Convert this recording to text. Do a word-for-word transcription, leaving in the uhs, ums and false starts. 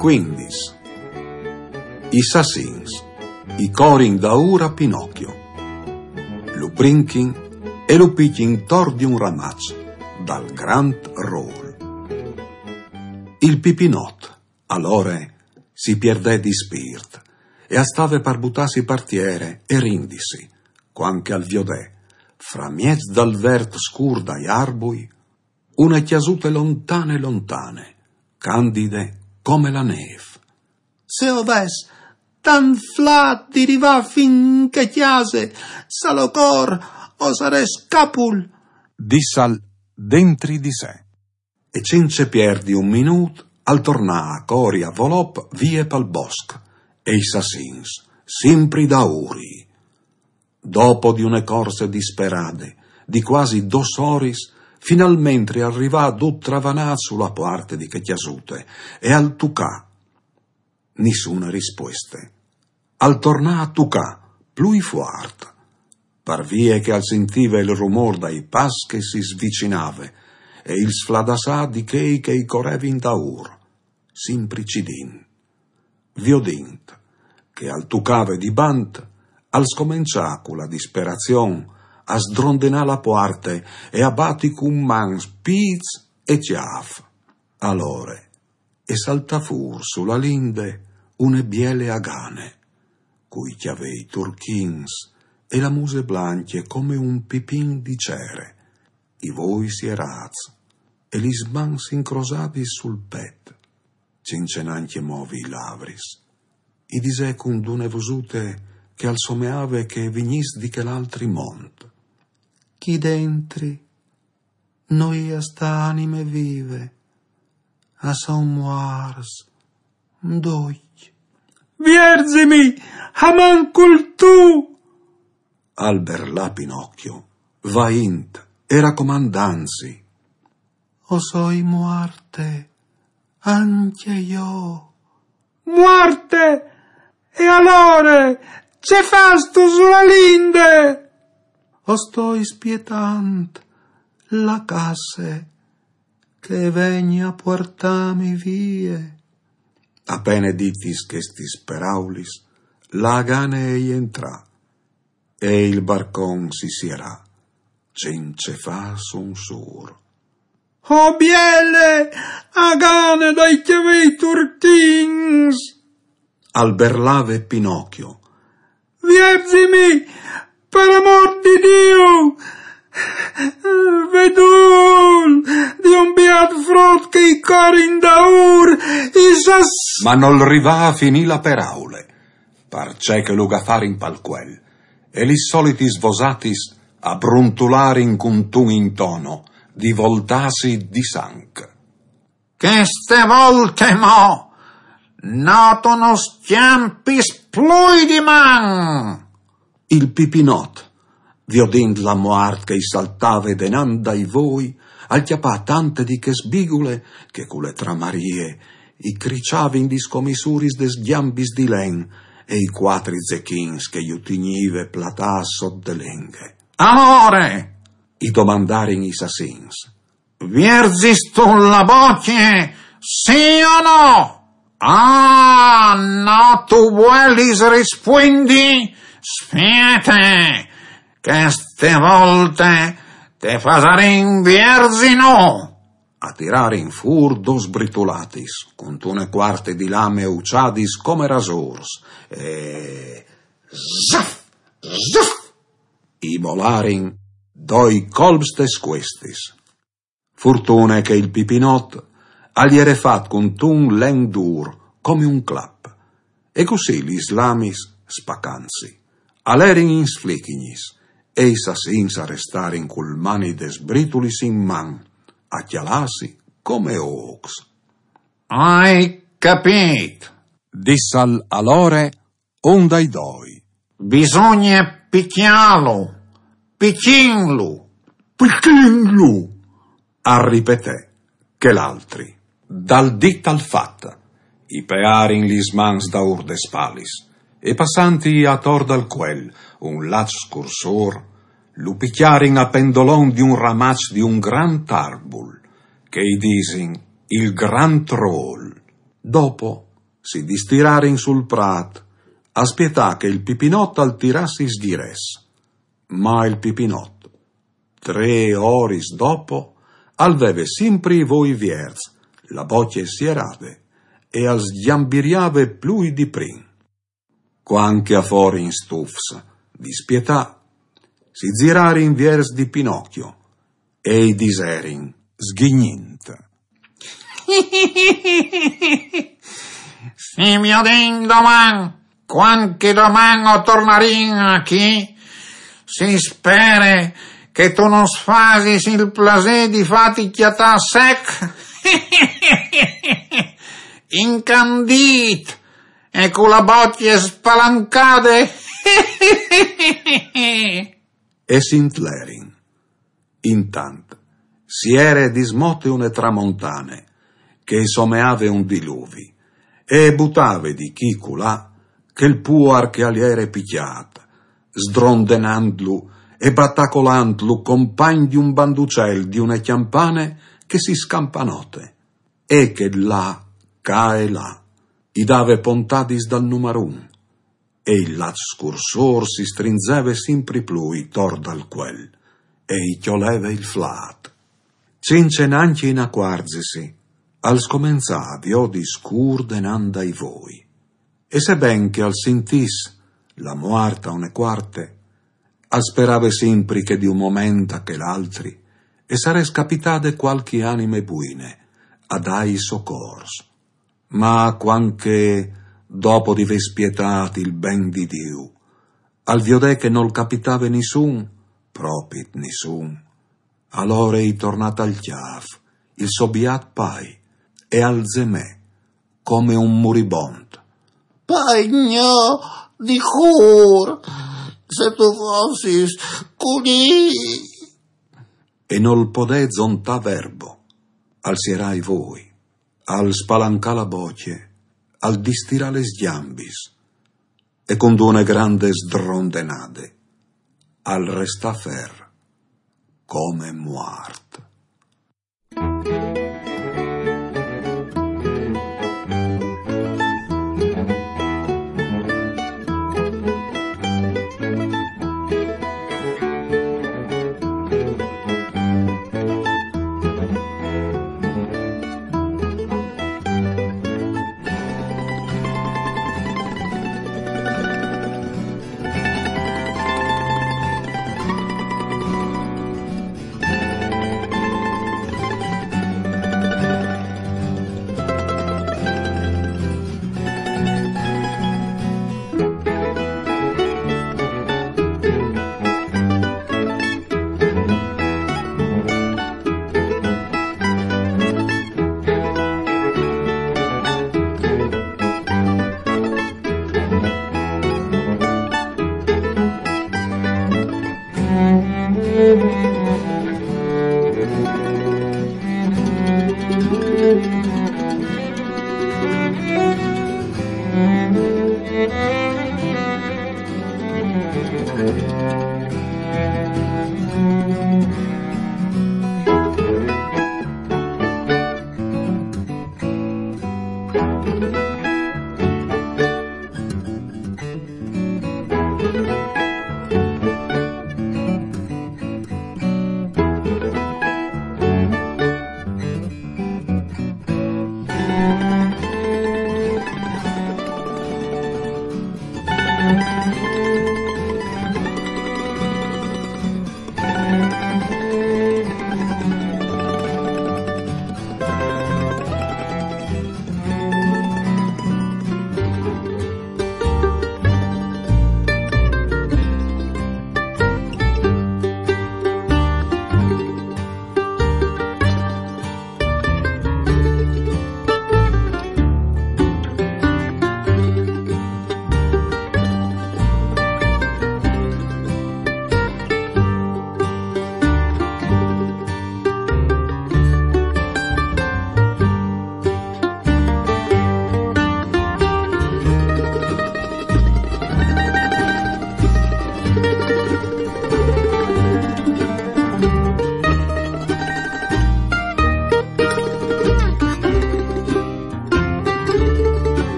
Quindis. I sassins i corin daûr a Pinocchio, lu brinchin e lu pichin tor di un ramaç dal grant rôl. Il Pipinot, alore, si pierdè di spirt e al stave par butâsi par tiere e rindisi, cuant che al viodè, framieç dal vert scûr dai arbui, une cjasute lontane lontane, candide come la nêf. «Se o ves tant flât di rivâ fin in chê cjase, salocor, o sarès capul», dissal dentri di se. E cence pierdi un minût al tornà a cori a volop vie pal bosc, e i sassins, simpri daûri. Dopo di une corse disperade, di cuasi dôs oris, finalmentri al rivà dut travanât su la puarte di chê cjasute e al tucà. Nissune rispueste. Al tornà a tucâ, plui fuart, par vie che al sintive il rumôr dai pas che si svicinave e il sfladassâ di chei che i corevin daûr, simpri cidint. Viodint che al tucave di bant, al scomençà cu la disperazion a sdrondenâ la puarte e a bati cun mans, pîts e cjâf. Alore e saltà fûr su la linde une biele agane, cui cjavei turchins e la muse blancje come un pipin di cere, i voi sierâts e lis mans incrosadis sul pet, cence nancje movi i lavris. I disè cuntune vosute che al someave che e vignìs di chel altri mont: «Chi dentri no je a stâ anime vive, a son muarts ducj.» «Vierzimi, almancul tu!» al berlà Pinocchio, vaint e racomandantsi. «O soi muarte ancje jo.» «Muarte? E alore, ce fâstu su la linde?» «O stoi spietant la casse che e vegni a puartâmi vie.» A pene ditis chestis peraulis, la agane e jentrà e il barcon si sierà, cence fâ un sûr. «O biele agane dai cjavei turchins!» al berlave Pinocchio. «Vierzimi, par amôr di Diu! Vedûl di un biât frut che i corin daûr, i sas.» Ma nol rivà a finî la peraule, parcè che lu gafarin pal cuel, e lis solitis vosatis a bruntularin cuntun intono di voltâsi di sanc. «Cheste volte mo no tu nus cjampis plui di man!» Il Pipinot, viodint la muart che i saltave denant dai voi, al cjapà tante di chê sbigule che cu le tramarie i criçavin di scomissuris des gjambis di len e i cuatri zechins che ju tignive platâts sot de lenghe. «Alore?» i domandarin i sassins. «Vierzistu la bocje, sì o no?» «Ah, no tu vuelis rispuindi? Spiete, cheste volte te fasarìn vierzi nô.» A tirarin fûr dôs britulatis, cuntune cuarte di lame uçadis come rasôrs, e zaf, zaf, i molarin doi colps tes cuestis. Fortune che il Pipinot al jere fat cuntun len dûr, come un clap, e cussì lis lamis, spacantsi, a lerin in sflichignis, e i sassins a restarin cul mani des britulis in man, a cjalâsi come ôcs. «Ai capît», dissal alore un dai doi. «Bisugne picjâlu, picjinlu.» «Picjinlu!» al ripetè chel altri. Dal dit al fat, i pearin lis mans daûr des spalis, e passanti ator dal cuel un laç scursôr, lu picjarin a pendolon di un ramaç di un grant arbul, che i disin il grant rôl. Dopo, Si distirarin sul prat, a spietà che il pipinot al tiràs i sghirès. Ma il pipinot, trê oris dopo, al veve simpri i voi vierts, la bocje sierade, e al sgjambiriave plui di prin. Cuant che a forin stufs, dispietà, si zirarin viers di Pinocchio e i diserin, sghignint: Si viodìn doman, cuant che doman o tornarìn achì, si spere che tu nus fasis il plasê di fâti cjatâ sec, incandît e cu la bocje spalancade. E si intlerin. Intant, si jere dismote une tramontane, che e someave un diluvi, e e butave di chi culà chel puar che al jere picjât, sdrondenantlu e batacolantlu compagn di un banducel di une cjampane che si scampa note, e che là, ca e là, i dave pontadis dal numarun, e il lat scursôr si strinzeve simpri plui tor dal cuel, e i cjoleve il flât. Cence nancje inacuarzisi, al scomenzà a viodi scûr denant dai voi. E seben che al sintìs la muart a une cuarte, al sperave simpri che di un moment a chel altri e sarès capitade cualchi anime buine a dâi socors. Ma cuant che, dopo di vê spietât il ben di Diu, al viodè che nol capitave nissun, propit nissun, alore i tornà tal cjâf il so biât pai e al zemè come un muribont: Pai gno, di cûr, se tu fossis culì! E nol podè zontâ verbo, al sierà i voi, al spalancà la bocje, al distirà lis gjambis, e cun une grande sdrondenade al restà fer come muart.